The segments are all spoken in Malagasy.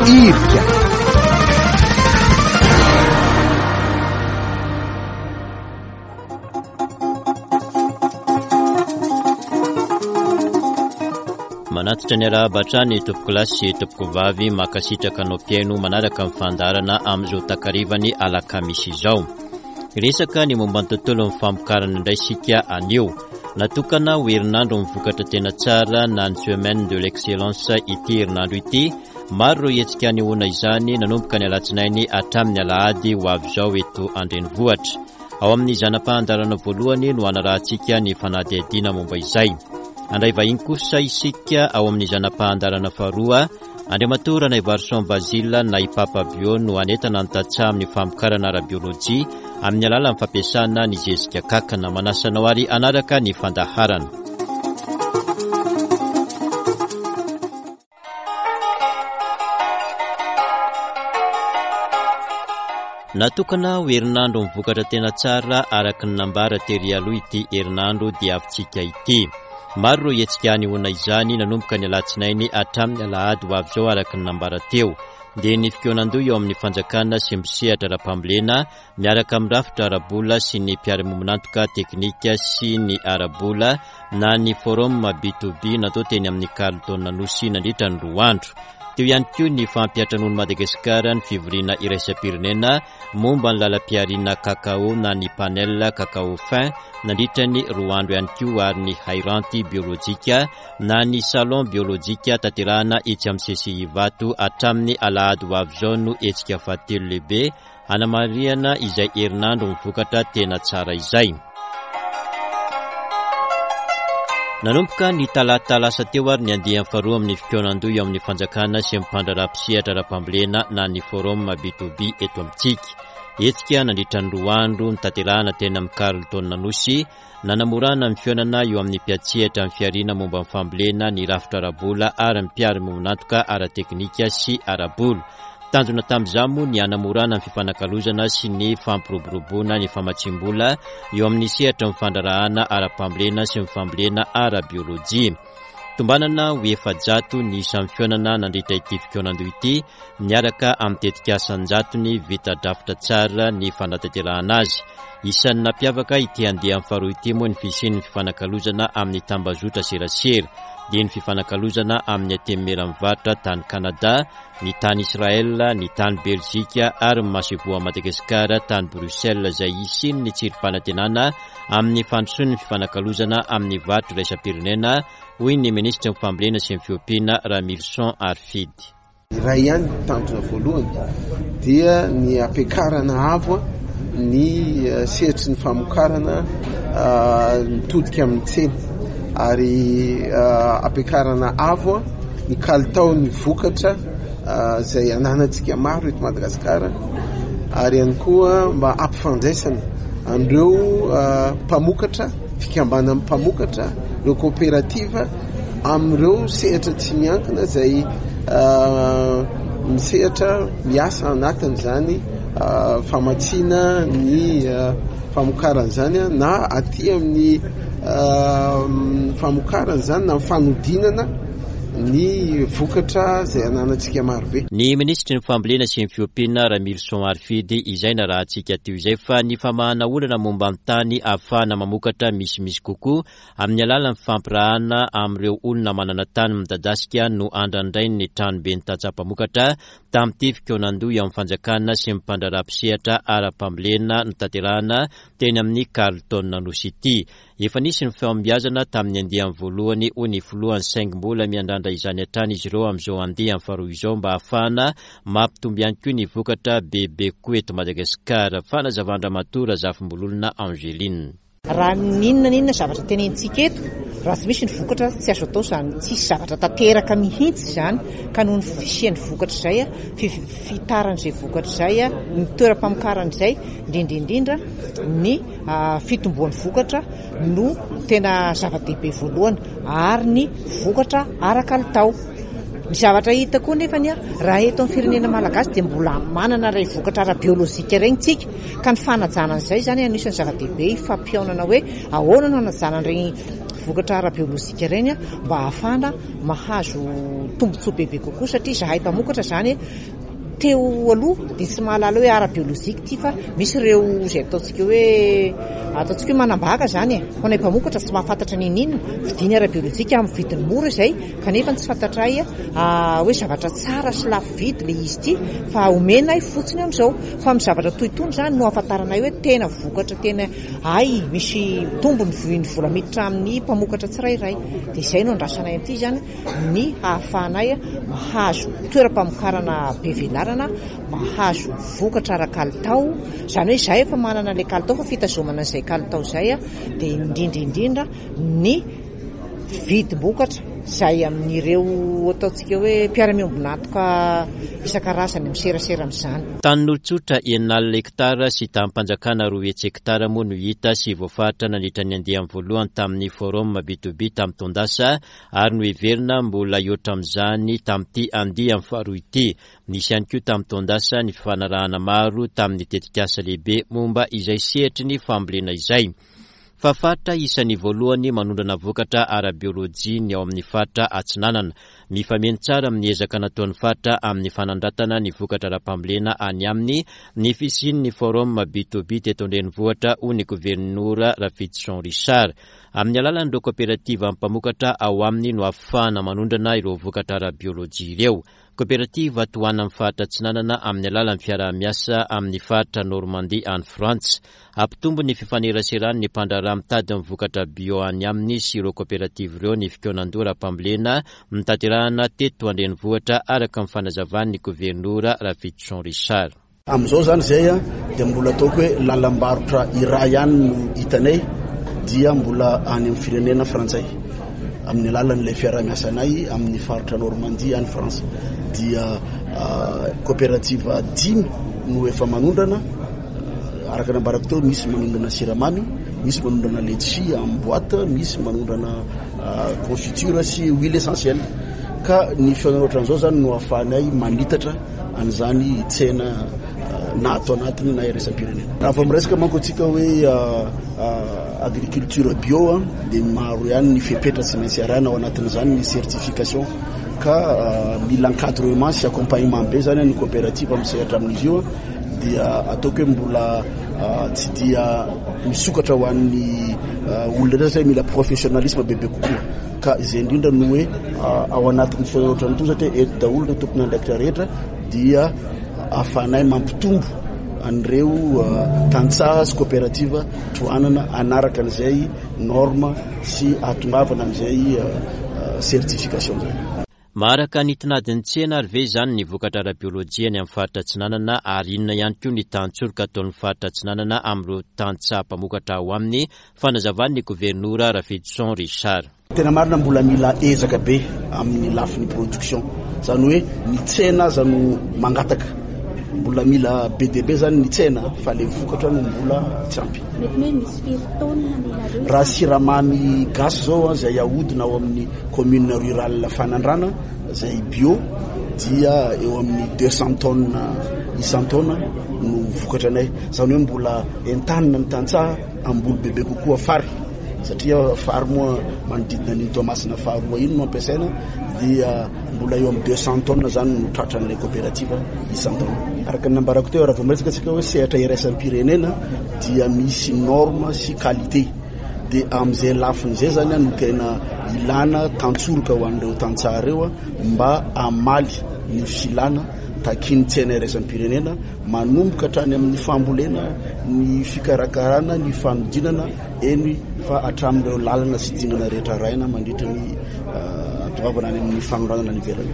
Irika. Manatitra ny arahaba hatrany tompokolahy sy tompokovavy mankasitraka anao mpihaino manaraka ny fandaharana amin'izao takarivan'ny alakamisy izao. Hiresaka ny momba ny tontolon'ny famokarana indray isika anio. Natokana ho herinandro ny vokatra tena tsara na ny semaine de l'excellence ity herinandro ity. Maro ireo hetsika anehoana izany nanomboka ny alatsinainy hatramin'ny alahady ho avy izao eto an-drenivohitra. Ao amin'ny zana-pahandarana voalohany no hanarahantsika ny fanadihadiana momba izay. Handray vahiny kosa isika ao amin'ny zana-pahandarana faharoa Andriamatoa Ranaivarison Basile na i Papa Bio no hanentana ny tantsaha amin'ny famokarana ara-biolojia amin'ny alalan'ny fampiasana ny zezika kakana. Manasa anao ary hanaraka ny fandaharana. Natokana ho herinandro ny vokatra tena tsara araka ny nambara tery aloha ity herinandro diavintsika ity. Maro ireo hetsika hanehoana izany nanomboka ny alatsinainy hatramin'ny alahady ho avy izao araka ny nambara teo. Dia ny fikaonandoha eo amin'ny fanjakana sy ny mpisehatra ara-pambolena miaraka amin'ny rafitra ara-bola sy ny mpiara-miombon'antoka teknika sy ny ara-bola na ny forum B2B natao teny amin'ny Carlton Anosy nandritra ny roa andro. Teo ihany koa ny fampiantranoan'i Madagasikara ny fivoriana iraisam-pirenena momba ny lalam-pihariana cacao na ny panel cacao fin nandritra ny roa andro ihany koa ary ny hairanty biolojika na ny salon biolojika tanterahana etsy amin'ny CCI Ivato hatramin'ny alahady ho avy izao no hetsika fahatelo lehibe hanamarihana izay herinandro ny vokatra tena tsara izay. Nanomboka ny talata lasa teo ary ny andiany faharoa amin'ny fikaonandoha eo amin'ny fanjakana sy ny mpandraharaha mpisehatra ara-pambolena na ny forum B2B eto amintsika. Hetsika nandritra ny roa andro notanterahana teny amin'ny Carlton Anosy, nanamorana ny fihaonana eo amin'ny mpiantsehatra amin'ny fihariana momba ny fambolena, ny rafitra ara-bola ary ny mpiara-miombon'antoka ara-teknika sy ara-bola. Tanjona tamin'izany moa ny hanamorana ny fifanakalozana sy ny fampiroboroboana ny famatsiam-bola eo amin'ny sehatry ny fandraharahana ara-pambolena sy ny fambolena ara-biolojia. Tombanana ho 400 ny isan'ny fihaonana nandritra ity fikaonandoha ity, miaraka amin'ny tetikasa an-jatony vita drafitra tsara ny fanatanterahana azy. Isan'ny nampiavaka ity andiany faharoa ity moa ny fisian'ny fifanakalozana amin'ny tambazotra serasera, dia ny fifanakalozana amin'ny Antenimieran'ny Varotra tany Canada, ny tany Israël, ny tany Belzika ary ny masoivoho Madagasikara tany Bruxelles izay hisian'ny tsirim-panantenana amin'ny fandrosoan'ny fifanakalozana amin'ny varotra iraisam-pirenena, hoy ny minisitry ny fambolena sy ny fiompiana Ramilison Harifidy. Iray ihany ny tanjona voalohany dia ny hampiakarana avo ny sehatry ny famokarana mitodika amin'ny tsena ary hampiakarana avo ny kalitaon'ny vokatra izay ananantsika maro eto Madagasikara ary ihany koa mba hampifandraisana an'ireo mpamokatra, fikambanan'ny mpamokatra, ireo koperativa amin'ireo sehatra tsy miankina izay misehatra miasa anatin'izany famatsiana ny famokarana izany na aty amin'ny famokarana izany na fanodinana ny vokatra izay ananantsika marobe. Ny minisitry ny Fambolena sy ny Fiompiana, Ramilison Harifidy, izay narahantsika teo izay fa ny famahana olana momba ny tany ahafahana mamokatra misimisy kokoa amin'ny alalan'ny fifampirahana amin'ireo olona manana tany midadasika no andrandrain'ny tranoben'ny tantsaha mpamokatra tamin'ity fikaonandoha eo amin'ny fanjakana sy ny mpandraharaha mpisehatra ara-pambolena notanterahana teny amin'ny Carlton Anosy ity. Efa nisy ny fahombiazana tamin'ny andiany voalohany, hoy ny filohany, saingy mbola miandrandra izany hatrany izy ireo amin'izao andiany faharoa izao mba hahafahana mampitombo ihany koa ny vokatra bebe kokoa eto Madagasikara. Fanazavan-dRamatoa Razafimbololona Angeline. Raha n'inona n'inona zavatra tenenintsika eto, raha tsy misy ny vokatra tsy azo atao izany, tsisy zavatra tanteraka mihitsy izany, ka noho ny fisian'ny vokatra izay, fitaran'izay vokatra izay, ny toeram-pamokarana izay, indrindra indrindra ny fitomboan'ny vokatra no tena zava-dehibe voalohany ary ny vokatra ara-kalitao. Ny zavatra hita koa nefa ny raha eto amin'ny firenena malagasy dia mbola manana ilay vokatra ara-biolojika ireny tsika ka ny fanajana an'izay izany anisan'ny zava-dehibe hifampihaonana hoe ahoana no hanajana an'ireny. vokatra ara-biolojika ireny mba hahafahana mahazo tombontsoa bebe kokoa satria izahay mpamokatra izany teo aloha dia tsy mahalala hoe ara-biolojika ity fa misy ireo izay ataontsika hoe ataontsika hoe manambaka izany e. Ho anay mpamokatra tsy mahafantatra n'inon'inona, vidiany ara-biolojika amin'ny vidiny mora izay kanefa tsy fantatray hoe zavatra tsara sy lafo vidy ilay izy ity fa omenay fotsiny amin'izao. Fa amin'ny zavatra toy itony izany no ahafantaranay hoe tena vokatra tena hay misy tombony ny vola miditra amin'ny mpamokatra tsirairay. Dia izay no andrasanay amin'ity izany ny hahafahanay mahazo toeram-pamokarana be velarana, mahazo vokatra ara-kalitao, izany hoe izahay efa manana ilay kalitao fa fitazomana an'izay kalitao izay dia indrindra indrindra ny vidim-bokatra izay amin'ireo ataontsika hoe mpiara-miombon'antoka isan-karazany miserasera amin'izany. Tanin'olon-tsotra 60 hektara sy tanim-panjakana 200 hektara moa no hita sy voafaritra nandritra ny andiany voalohany tamin'ny Forum B to B tamin'ny taon-dasa ary noheverina mbola hihoatra amin'izany tamin'ity andiany faharoa ity. Nisy ihany koa tamin'ny taon-dasa ny fifanarahana maro tamin'ny tetikasa lehibe momba izay sehatry ny fambolena izay. Fa faritra isan'ny voalohany manondrana vokatra ara-biolojia ny ao amin'ny faritra Atsinanana. Mifameno tsara amin'ny ezaka nataon'ny faritra amin'ny fanandratana ny vokatra ara-pambolena any aminy ny fisian'ny Forum B to B teto an-drenivohitra, hoy ny governora Rafidison Richard. Amin'ny alalan'ireo koperativa mpamokatra ao aminy no ahafahana manondrana ireo vokatra ara-biolojia ireo. Koperativa tohanan'ny faritra Atsinanana amin'ny alalan'ny fiaraha-miasa amin'ny faritra Normandie any Frantsa. Hampitombo ny fifaneraseran'ny mpandraharaha mitady ny vokatra bio any aminy sy ireo koperativa ireo ny fikaonandoha ara-pambolena notanterahana teto an-drenivohitra araka ny fanazavan'ny governora Rafidison Richard. Amin'izao izany izay dia mbola ataoko hoe lalam-barotra iray ihany no hitanay dia mbola any amin'ny firenena frantsay amin'ny alalan'ilay fiaraha-miasanay amin'ny faritra Normandie any France dia coopérative dimy no efa manondrana araka ny ambarako teo misy manondrana siramamy misy manondrana letchi en boîte misy manondrana confiture sy huile essentielle ka ny fihaonana ohatran'izao izany no ahafahanay manitatra an'izany tsena na ato anatiny na iraisam-pirenena. Raha vao miresaka manko antsika hoe agriculture bio dia maro ihany ny fepetra tsy maintsy arahina ao anatin'izany ny certification ka mila encadrement sy accompagnement be zany ny coopérative amin'ny sehatra amin'izy io dia ataoko hoe mbola tsy dia misokatra ho an'ny olona rehetra satria mila professionnalisme bebe kokoa. Ka izay indrindra no hoe ao anatin'ny fihaonana ohatran'itony satria eto daholo ireo tompon'andraikitra rehetra dia ahafahanay mampitombo an'ireo tantsaha sy coopérative tohanana hanaraka an'izay norme sy hahatongavana amin'izay certification izay. Maharaka ny tinadin'ny tsena ary ve izany ny vokatra ara-biolojia any amin'ny faritra Atsinanana ary inona ihany koa ny tantsoroka ataon'ny faritra Atsinanana amin'ireo tantsaha mpamokatra ao aminy, fanazavan'ny governora Rafidison Richard. Tena marina mbola mila ezaka be amin'ny lafiny production, izany hoe ny tsena aza no mangataka, mbola mila be dia be izany ny tsena fa ilay vokatra no mbola tsy ampy. Mety hoe misy firy taonina milareo? Raha siramamy gasy izao izay ahodina ao amin'ny Commune rurale Fanandrana izay bio dia eo amin'ny 200 tonnes isan-taona no vokatra anay. Izany hoe mbola entanina ny tantsaha hamboly bebe kokoa fary satria fary moa manodidina an'iny Toamasina faharoa iny no ampiasaina dia mbola eo amin'ny 200 tonnes izany no tratran'ilay coopérative isan-taona. Araka ny nambarako teo, raha vao miresaka antsika hoe sehatra iraisam-pirenena dia misy norme sy qualité. Dia amin'izay lafiny izay izany no tena ilana tantsoroka ho an'ireo tantsaha ireo mba hamaly ny filana takian'ny tsena iraisam-pirenena manomboka hatrany amin'ny fambolena, ny fikarakarana, ny fanodinana, eny fa hatramin'ireo lalana sy dingana rehetra arahina mandritra ny hahatongavana any amin'ny fanondranana any ivelany.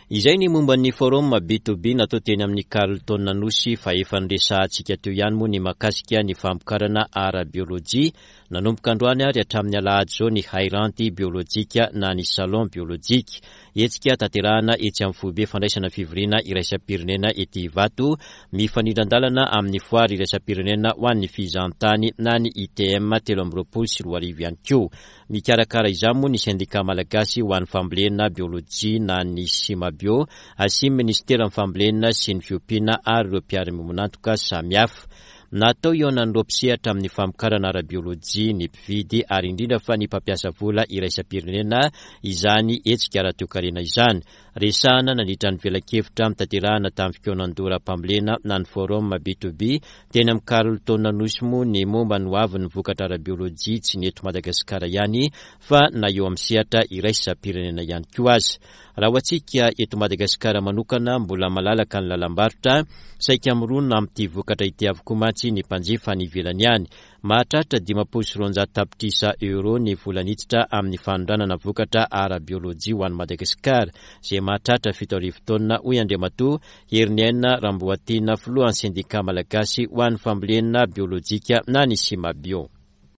Izay ny momba ny forum B to B natao teny amin'ny Carlton Anosy fa efa noresahantsika teo ihany moa ny mahakasika ny famokarana ara-biolojia. Nanomboka androany ary hatramin'ny alahady izao ny hairanty biolojika na ny salon biolojika. Hetsika tanterahana etsy amin'ny foibe fandraisana fivoriana iraisam-pirenena ety Ivato, mifanindran-dalana amin'ny foire iraisam-pirenena ho an'ny fizahantany na ny ITM 2023 ihany koa. Mikarakara izany moa ny Sendikà Malagasy ho an'ny Fambolena Biolojia na ny Simabio sy ny Minisiteran'ny Fambolena sy ny Fiompiana ary ireo mpiara-miombon'antoka samihafa. Natao hihaonan'ireo mpisehatra amin'ny famokarana ara-biolojia, ny mpividy ary indrindra fa ny mpampiasa vola iraisam-pirenena izany hetsika ara-toekarena izany. Resahana nandritra ny velakevitra notanterahana tamin'ny fikaonandoha ara-pambolena na ny Forum B-to-B teny amin'ny Carlton Anosy moa ny momba ny hoavin'ny vokatra ara-biolojia tsy ny eto Madagasikara ihany fa na eo amin'ny sehatra iraisam-pirenena ihany koa aza. Raha ho antsika eto Madagasikara manokana, mbola malalaka ny lalam-barotra, saika mirona amin'ity vokatra ity avokoa mantsy ny mpanjifa any ivelany any. Mahatratra 250 tapitrisa euros ny vola niditra amin'ny fanondranana vokatra ara-biolojia ho an'i Madagasikara, izay mahatratra 7000 taonina, hoy Andriamatoa Heriniaina Ramboatiana, filohan'ny sendikà malagasy ho an'ny fambolena biolojika na ny Simabio.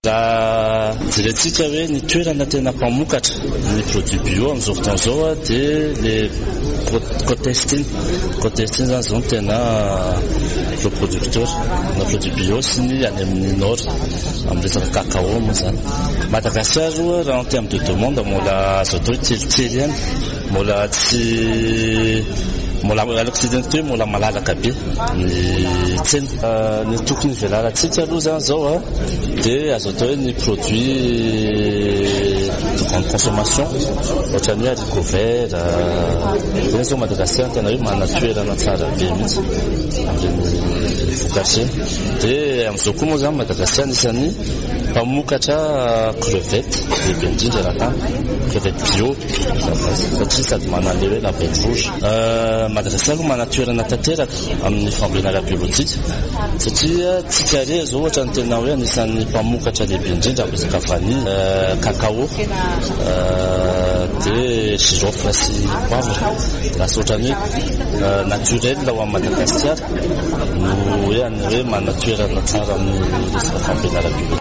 Raha jerentsika hoe ny toerana tena mpamokatra ny produit bio amin'izao fotoana izao dia le côte est iny. Côte est iny izany izao no tena gros producteur na produit bio sy ny any amin'ny nord amin'ny resaka cacao moa izany. Madagasikara aloha raha en terme de demande mbola azo atao hoe kelikely ihany. Mbola tsy mbola alako tsy hiteny hoe mbola malalaka be ny tsena. Ny tokony hivelarantsika aloha izany izao dia azo atao hoe ny produit de grande consommation ohatran'ny hoe haricot vert, ireny izao Madagasikara tena hoe manana toerana tsara be mihitsy amin'ireny vokatra ireny. Dia amin'izao koa moa izany Madagasikara anisan'ny mpamokatra crevette lehibe indrindra eran-tany, crevette bio. Satria sady manana ilay hoe label rouge. Madagasikara aloha manana toerana tanteraka amin'ny fambolena ara-biolojika satria tsika irery izao ohatra ny tena hoe anisan'ny mpamokatra lehibe indrindra amin'ny resaka vanille, cacao, dia girofle sy poivre. Lasa ohatran'ny hoe naturel ho an'i Madagasikara no hoe hoe manana toerana tsara amin'ny resaka fambolena ara-biolojika.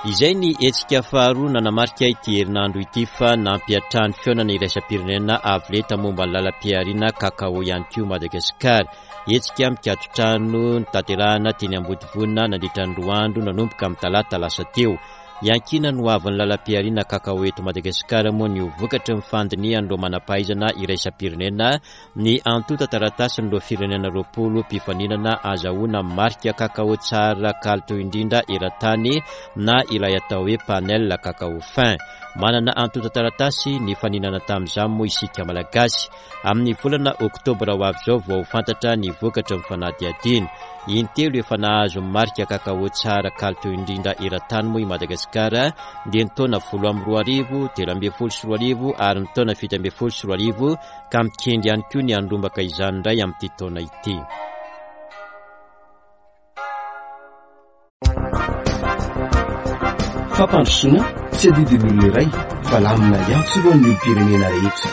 Izay ny hetsika faharoa nanamarika ity herinandro ity fa nampiantrano fihaonana iraisam-pirenena avo lenta momba ny lalam-pihariana kakao ihany koa Madagasikara. Hetsika mikaton-trano notanterahina teny Ambodivona nandritra ny roa andro nanomboka amin'ny talata lasa teo. Iankinan'ny hoavin'ny lalam-pihariana kakao eto Madagasikara moa ny ho vokatry ny fandinihan'ireo manam-pahaizana iraisam-pirenena Ny antontan-taratasin'ireo firenena 20 mpifaninana azahoana marika kakao tsara kalitao indrindra eran-tany na ilay atao hoe panel cacao fin. Manana antontan-taratasy nifaninana tamin'izany moa isika Malagasy. Amin'ny volana oktobra ho avy izao vao ho fantatra ny vokatry ny fanadihadiana. Intelo efa nahazo ny marika kakao tsara kalitao indrindra eran-tany moa i Madagasikara dia ny taona 2008, 2013 ary ny taona 2017 ka mikendry ihany koa ny handrombaka izany indray amin'ity taona ity. Fampandrosoana tsy adidin'ny olona iray fa lamina iantsorohan'ny olom-pirenena rehetra.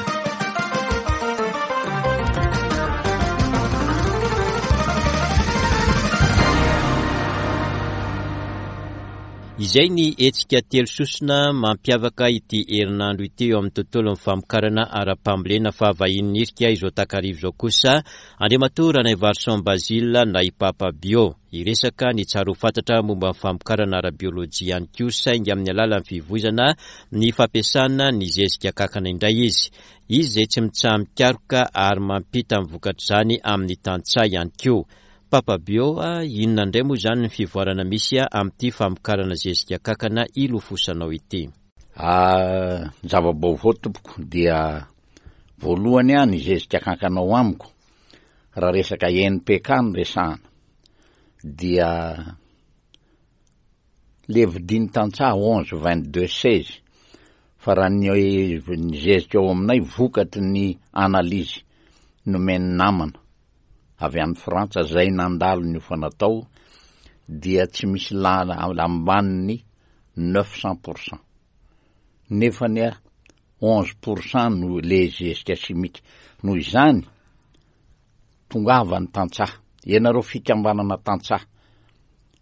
Izay ny hetsika telo sosona mampiavaka ity herinandro ity eo amin'ny tontolon'ny famokarana ara-pambolena fa vahiny nirika izao takariva izao kosa Andriamatoa Ranaivarison Basile na i Papa Bio. Hiresaka ny tsara ho fantatra momba ny famokarana ara-biolojia ihany koa saingy amin'ny alalan'ny fivoizana ny fampiasana ny zezika kankana indray izy. Izy izay tsy mitsaha-mikaroka ary mampita ny vokatr'izany amin'ny tantsaha ihany koa. Papa Bio a, inona indray moa izany ny fivoarana misy amin'ity famokarana zezika kankana ilofosanao ity? Ah, ny zava-baovao tompoko dia voalohany ah ny zezika kankana ao amiko raha resaka NPK no resahana dia le vidin'ny tantsaha 11 22 16 fa raha ny ny zezika ao aminay vokatry ny analyse nomen'ny namana avy any Frantsa zay nandalo niofana tao dia tsy misy lala ambanin'ny 900 pour cent nefa anie 11 pour cent no le zezika simika noho izany tongava ny tantsaha ianareo fikambanana tantsaha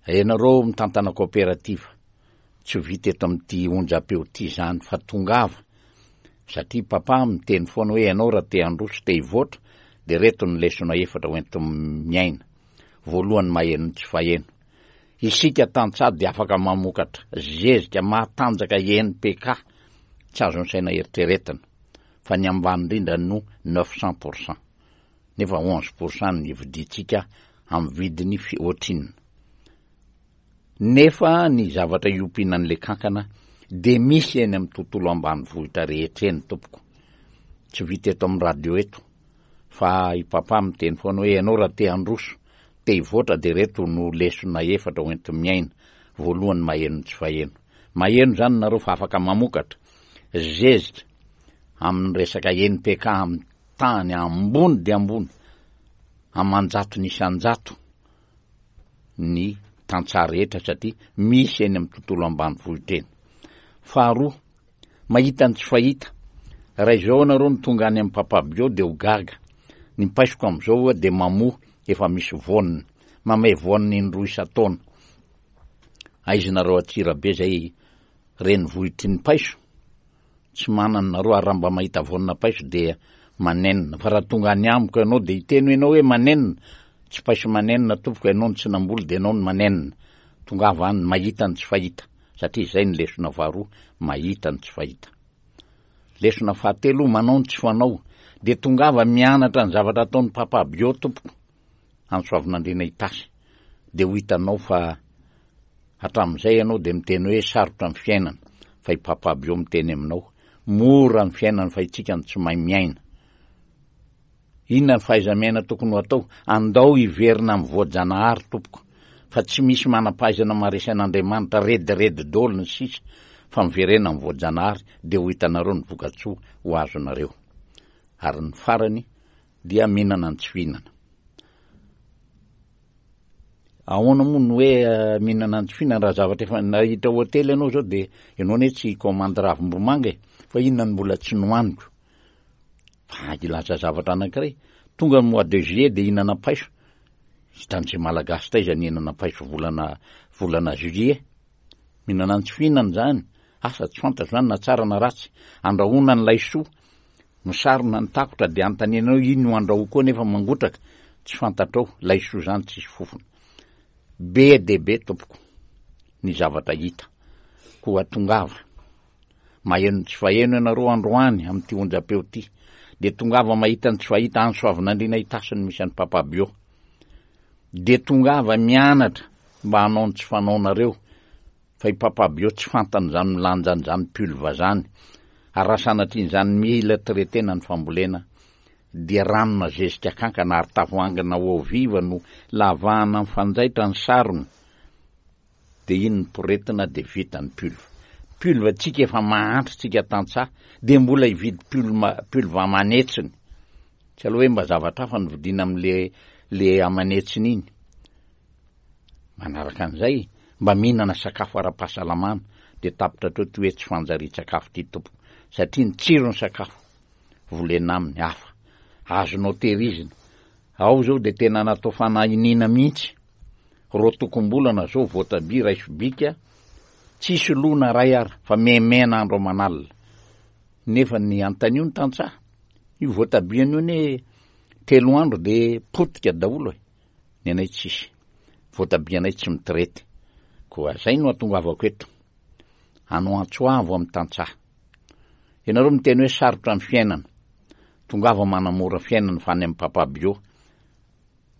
ianareo mitantana coopérative Tsy ho vita eto amin'ity onjam-peo ity izany fa tongava satria papa miteny foana hoe ianao raha te handroso te hivoatra dia ireto ny lesona efatra ho enti-miaina. Voalohany maheno ny tsy faheno. Isika tantsaha dia afaka mamokatra zezika mahatanjaka NPK tsy azon'ny saina eritreretina fa ny ambany indrindra no 900 pour cent. Nefa 11% no ividiantsika amin'ny vidiny fi ohatrinona. Nefa ny zavatra iompiana an'ilay kankana dia misy eny amin'ny tontolo ambanivohitra rehetra eny tompoko. Tsy vita eto amin'ny radio eto fa i papa miteny foana hoe ianao raha te handroso, te hivoatra dia ireto no lesona efatra ho enti-miaina. Voalohany maheno ny tsy faheno. Maheno izany nareo fa afaka mamokatra zezika amin'ny resaka NPK amin'ny tany ambony dia ambony aman-jatony isan-jato. ny tantsaha rehetra satria misy eny amin'ny tontolo ambanivohitra eny. Faharoa, mahita ny tsy fahita. Raha izao ianareo no tonga any amin'ny Papa Bio dia ho gaga. Ny paisoko amin'izao dia mamoa efa misy voaniny. Mamay voaniny indroa isan-taona. Aiza nareo Antsirabe izay renivohitry ny paiso? Tsy manana nareo ary raha mba mahita voanina paiso dia manenina fa raha tonga any amiko ianao dia hiteny hoe ianao hoe manenina tsy paiso manenina tompoko ianao no tsy namboly dia ianao no manenina tongava any mahita ny tsy fahita satria izay ny lesona faharoa mahita ny tsy fahita lesona fahatelo manao ny tsy fanao dia tongava mianatra ny zavatra ataon'ny papa bio tompoko any Soavinandriana Itasy dia ho hitanao fa hatramin'izay ianao dia miteny hoe sarotra ny fiainana fa i Papa Bio miteny aminao mora ny fiainana fa itsika no tsy mahay miaina. Inona ny fahaiza-miaina tokony ho atao? Andao hiverina amin'ny voajanahary tompoko fa tsy misy manam-pahaizana maharesy an'Andriamanitra rediredy daholo ny sisa fa miverena amin'ny voajanahary dia ho hitanareo ny vokatsoa ho azonareo. Ary ny farany dia mihinana ny tsy fihinana. Ahoana moa no hoe eh, mihinana ny tsy fihinana raha zavatra efa nahita hotely ianao zao dia ianao anie tsy commande ravimbomanga e, fa inona no mbola tsy nohaniko? Fa hilaza zavatra anankiray, tonga ny mois de juillet dia hihinana paiso, hitan'izay malagasy taiza ny hihinana paiso volana volana juillet? Mihinana ny tsy fihinana izany, asa tsy fantatro izany na tsara na ratsy, andrahoana ny laisoa, Misarona ny takotra dia anontaniana eo iny no andrahoa koa nefa mangotraka, tsy fantatrao, laisoa zany tsisy fofona. Be dia be tompoko ny zavatra hita, koa tongava. Maheno ny tsy faheno ianareo androany amin'ity onjam-peo ity, dia tongava mahita ny tsy fahita any Soavinandriana Itasy no misy an'i Papa Bio. Dia tongava mianatra mba hanao ny tsy fanaonareo Fa i Papa Bio tsy fantany izany milanja an'izany pulve zany, ary raha sanatrian'izany mila traitena ny fambolena dia ranona zezika kankana ary tavoahangina eau vive no lavahana mifanjaitra ny sarony dia iny ny poretina dia vita ny pulve. Pulve tsika efa mahantra tsika tantsaha dia mbola hividy pulme pulve aman'hetsiny. Tsy aleo hoe mba zavatra hafa no vidiana amin'le le aman'hetsiny iny. Manaraka an'izay, mba mihinana sakafo ara-pahasalamana dia tapitra hatreo ity hoe tsy fanjarian-tsakafo ity tompoko satria ny tsiron'ny sakafo volena aminy hafa, azonao tehirizina. Ao izao dia tena natao fanahiniana mihitsy, roatokom-bolana izao voatabia iray sobika, tsisy lo na iray ara fa mihemena andro aman'alina. Nefa ny antanio ny tantsaha, io voatabiany io anie telo andro dia potika daholo e. Ny anay tsisy. Voatabia anay tsy mitraite. Koa zay no atongavako eto. Hanao antso avo amin'ny tantsaha. Ianareo miteny hoe sarotra ny fiainana. Tongava manamora fiainana fa any amin'ny Papa Bio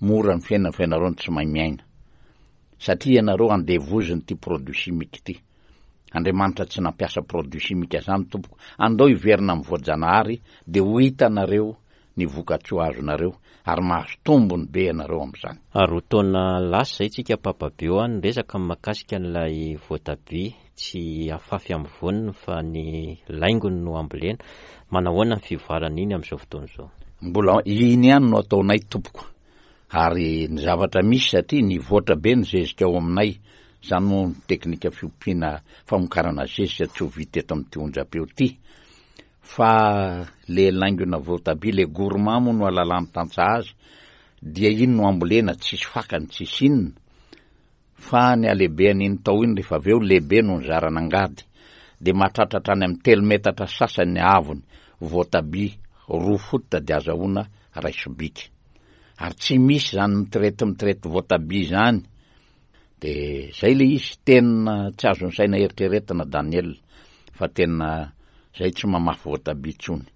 mora ny fiainana fa ianareo no tsy mahay miaina. Satria ianareo andevozin'ity produit chimique ity. Andriamanitra tsy nampiasa produit chimique zany tompoko. Andao hiverina amin'ny voajanahary dia ho hitanareo ny vokatsoa azonareo ary mahazo tombony be ianareo amin'izany. Roa taona lasa izay tsika Papa Bio a niresaka mahakasika an'ilay voatabia tsy afafy amin'ny voaniny fa ny laingony no ambolena. Manahoana ny fivoaran'iny amin'izao fotoana izao? Mbola iny ihany no ataonay tompoko ary ny zavatra misy satria nivoatra be ny zezika ao aminay, izany moa ny teknika fiompiana famokarana zezika tsy ho vita eto amin'ity onjam-peo ity. Fa le laingona voatabia, le gourmand moa no alalan'ny tantsaha azy, dia iny no ambolena, tsisy fakany, tsisy inona. Fa ny halehibehan'iny taho iny rehefa avy eo lehibe noho ny zaran'angady, dia mahatratra hatrany amin'ny telo metatra sasany ny haavony, voatabia roa fototra dia azahoana ray sobika. Ary tsy misy izany mitraite mitraite voatabia izany. De zay le izy, tena tsy azon'ny saina eritreretina Daniel fa tena zay tsy mamafy voatabia tsony.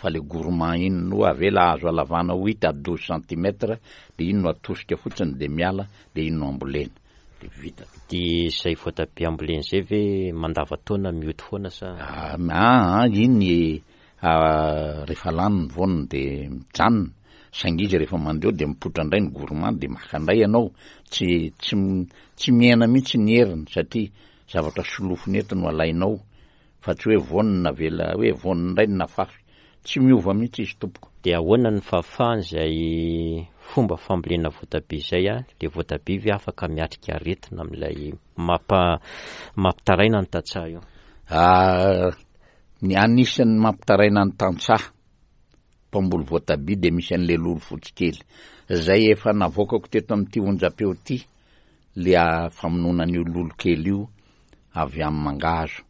Fa le gourmand iny no avela azo alavana huit à 12 centimètres de iny no atosika fotsiny de miala de iny no ambolena de vita. De zay voatabia ambolena zay ve mandava-taona mioty foana sa? Aa iny rehefa lany ny voaniny de mijanona saingy izy rehefa mandeha eo de mipoitra indray ny gourmand de maka indray ianao, tsy tsy tsy mihena mihitsy ny heriny satria zavatra solofony eto no alainao fa tsy hoe voaniny navela hoe voaniny indray no nafafy, tsy miova mihitsy izy tompoko. Dia ahoana ny fahafahany izay fomba fambolena voatabia izay a? Ilay voatabia ve afaka miatrika aretina amin'ilay mampa mampitaraina ny tantsaha io? Ah, ny anisan'ny mampitaraina ny tantsaha mpamboly voatabia dia misy an'ilay lolo fotsy kely izay efa navoakako teto amin'ity onjam-peo ity le famonoana an'io lolo kely io avy amin'ny mangahazo.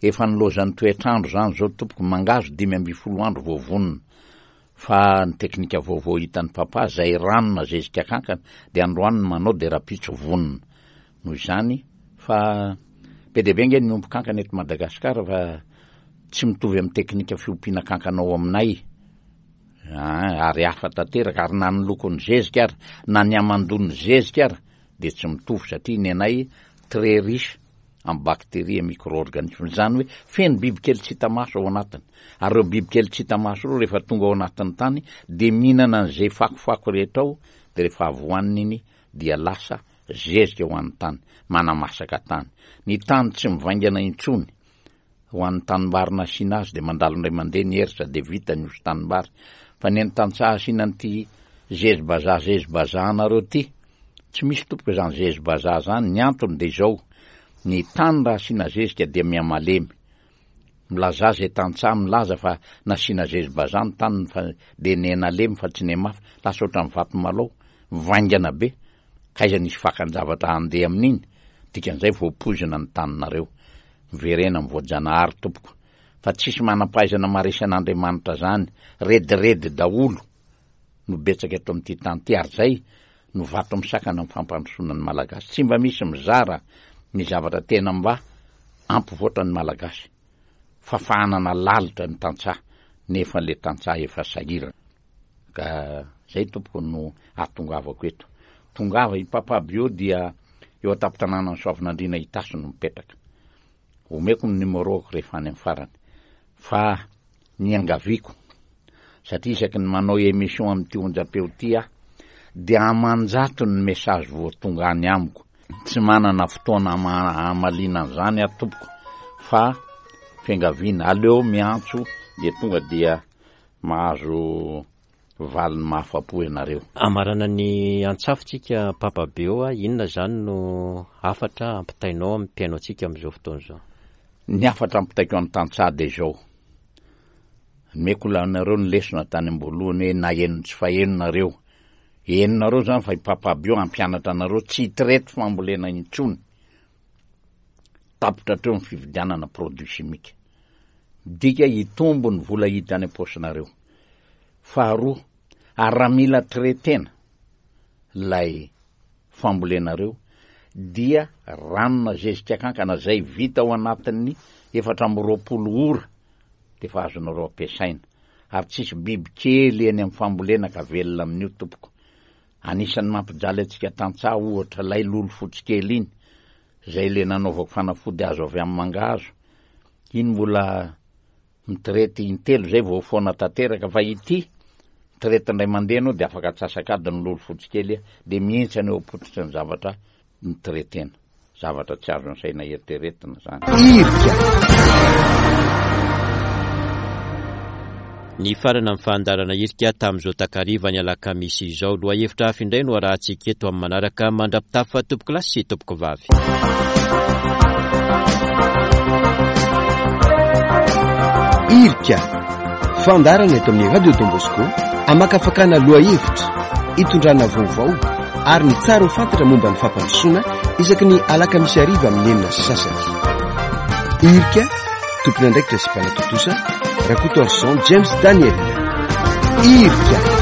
Efa nilaozan'ny toetr'andro izany izao tompoko, mangahazo 15 andro vao vonona. Fa ny teknika vaovao hitan'i Papa, izay rano na zezika kankana, dia androany ny manao dia rahampitso vonona. Noho izany, fa be dia be ange ny miompy kankana eto Madagasikara fa tsy mitovy amin'ny teknika fiompiana kankana ao aminay. Ah, ary hafa tanteraka, ary na ny lokon'ny zezika ary, na ny hamandoan'ny zezika ary, dia tsy mitovy satria ny anay très riche en bactéries et micro-organismes, izany hoe feno bibikely tsy hita maso ao anatiny, ary ireo bibikely tsy hita maso ireo rehefa tonga ao anatin'ny tany dia mihinana an'izay fakofako rehetra ao, dia rehefa avy hohaniny iny dia lasa zezika ho an'ny tany, manamasaka tany. Ny tany tsy mivaingana intsony. Ho an'ny tanimbary nasiana azy dia mandalo indray mandeha ny hersa dia vita ny osy tanimbary. Fa ny an'ny tantsaha asiana an'ity zezi-bazaha zezi-bazaha anareo ity, tsy misy tompoko izany zezi-bazaha izany, ny antony dia izao, ny tany raha asiana zezika dia mihamalemy. Milazà izay tantsaha milaza fa nasiana zezi-bazaha ny taniny fa dia niha-nalemy fa tsy nihamafy, lasa ohatran'ny vato malao, mivaingana be, k'aiza nisy fakan-javatra handeha amin'iny, dikan'izay voapoizina ny taninareo. Miverena amin'ny voajanahary tompoko fa tsisy manampahaizana maresy an'Andriamanitra zany, rediredy daholo no betsaka eto amin'ity tany ity ary zay no vato misakana ny fampandrosoana ny Malagasy, tsy mba misy mizara ny zavatra tena mba ampivoatra ny Malagasy fa fahanana lalitra ny tantsaha nefa le tantsaha efa sahirana. Ka zay tompoko no ahatongavako eto. Tongava i Papa Bio dia eo an-tampon-tanànan'i Soavinandriana Itasy no mipetraka. Omeko ny numéro-ko rehefa any amin'ny farany. Fa ny iangaviako, satria isaky ny manao émission amin'ity onjam-peo ity aho, dia aman-jatony ny message vao tonga any amiko. Tsy manana fotoana hamaliana an'izany aho tompoko, fa fiangaviana, aleo miantso dia tonga dia Mahazo valiny mahafapo ianareo. Hamarana ny antsafo tsika Papa Beo a, inona izany no hafatra ampitainao amin'ny mpihaino antsika amin'izao fotoana izao? Ny hafatra ampitaiko an'ny tantsaha dia izao, nomeko anareo ny lesona tany am-boalohany hoe na heno tsy faheno nareo, henonareo izany fa i Papa Beo hampianatra anareo tsy hitraite fambolena intsony, tapitra hatreo ny fividianana produit chimique. Midika hitombo ny vola hiditra any am-paosinareo. Faharoa, ary raha mila traiter-na ilay fambolenareo dia ranona zezika kankana izay vita ao anatin'ny 24 ora dia efa azonareo ampiasaina. Ary tsisy biby kely eny amin'ny fambolena ka velona amin'io tompoko. Anisan'ny mampijaly antsika tantsaha ohatra ilay lolo fotsy kely iny, izay le nanaovako fanafody azo avy amin'ny mangahazo, iny mbola mitraite intelo zay vao foana tanteraka fa ity mitraite indray mandeha anao de afaka atsasak'adiny lolo fotsy kely de mihintsana eo am-pototry ny zavatra mitretena, zavatra tsy azon'ny saina eritreretina zany. Irika. Nifarana ny fandaharana Irika tamin'izao takariva ny alakamisy izao. Lohahevitra hafa indray no arahantsika eto amin'ny manaraka. Mandra-pitafa tompokolahy sy tompokovavy. Irika. Fandaharana eto amin'ny Radio Don Bosco amakafakana lohahevitra, itondrana vaovao ary ny tsara ho fantatra momba ny fampandrosoana isaky ny alakamisy hariva amin'ny 6:30. Irika, tompon'andraikitra sy mpanatontosa, Rakotoarison James Daniel. Irika.